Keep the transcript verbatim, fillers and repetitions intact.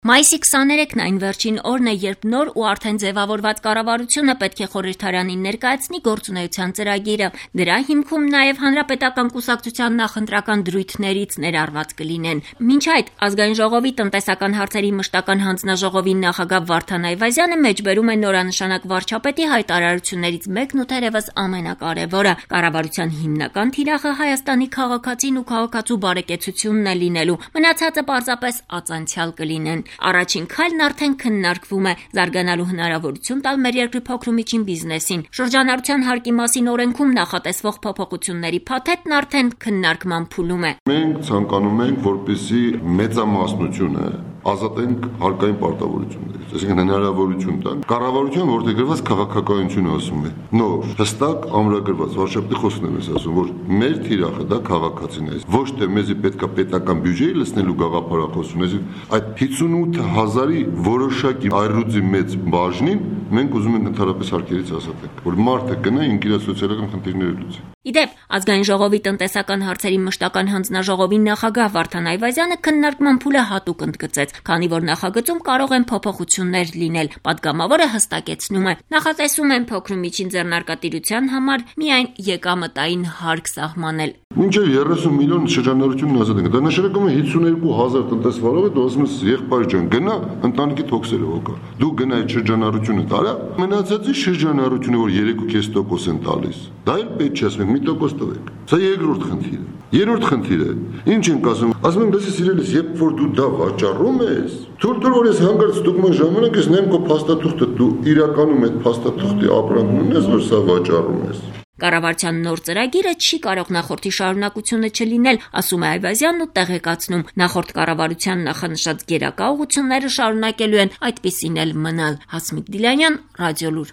Մայիսի քսաներեքն այն վերջին օրն է, երբ նոր ու արդեն ձևավորված կառավարությունը պետք է խորհրդարանին ներկայացնի գործունեության ծրագիրը։ Դրա հիմքում նաև հանրապետական կուսակցության նախընտրական դրույթներից ներառված կլինեն։ Մինչ այդ ազգային ժողովի տնտեսական հարցերի մշտական հանձնաժողովի նախագահ Վարդան Այվազյանը մեջբերում է նորանշանակ վարչապետի հայտարարություններից մեկն ու թերևս ամենակարևորը՝ կառավարության հիմնական թիրախը Հայաստանի քաղաքացին ու քաղաքացու բարեկեցությունն է լինելու, մնացածը պարզապես ածանցյալ կլինեն։ Առաջին քայլն արդեն քննարկվում է՝ զարգանալու հնարավորություն տալ մեր երկրի փոքր ու միջին բիզնեսին։ Շրջանառության հարկի մասին օրենքում նախատեսվող փոփոխությունների փաթեթն արդեն քննարկման փուլում է։ Մենք ցանկանում ենք, որպեսզի մեծամասնությունը ազատենք հարկային պարտավորություններից, այսինքն հնարավորություն տան կառավարության, որտեղ գրված քաղաքականությունը ասում է նոր, հստակ ամրագրված վարչապետի խոսքն եմ ասում, որ մեր թիրախը դա քաղաքացին է, ոչ թե մեզի պետքա պետական բյուջեի լցնելու գաղափարախոսություն, այսինքն այդ հիսունութ հազարի որոշակի այռուձի մեծ բաժնին մենք ուզում ենք ընդհանրապես հարկերից ազատենք, որ մարդը գնա ինքն իր սոցիալական խնդիրները լուծի։ Իդեպ, ազգային ժողովի տնտեսական հարցերի մշտական հանձնաժողովի նախագահ Վարդան Այվազյանը քննարկման փուլը հատուկ ընդգծեց, քանի որ նախագծում կարող են փոփոխություններ լինել։ Պատգամավորը հստակեցնում է, նախատեսում են փոքր ու միջին ձեռնարկատիրության համար միայն եկամտային հարկ սահմանել։ Մինչև երեսուն միլիոն շրջանառությունն ազատ ենք։ Դա նշանակում է հիսունհինգ հազար տնտեսվարող է, դու ասում ես եղբայր ջան, գնա ընտանիքի թոքսերը հոգա։ Դու գնա այդ շրջանառությունը տարա, մնացածի շրջանառությունը, որ երեք ու կես տոկոս են տալիս, դա էլ պետք չէ, ասում մի տոկոս տվեք։ Սա երկրորդ խնդիրը։ Երրորդ խնդիրը, ինչ ենք ասում, ասում են, լսի սիրելիս, երբ որ դու դա վաճառում ես, թույլ տուր, որ ես հանգարց ստուգման ժամանակ ես նայեմ քո փաստաթուղթը, դու իրականում այդ փաստաթուղթի ապրանքն ունես, որ սա վաճառում ես։ Կառավարության նոր ծրագիրը չի կարող նախորդի շարունակությունը չլինել, ասում է Այվազյանն ու տեղեկացնում, նախորդ կառավարության նախանշած գերակա ուղղությունները շարունակելու են այդպիսին էլ մնալ։ Հասմիկ Դիլանյան, Ռադիոլուր։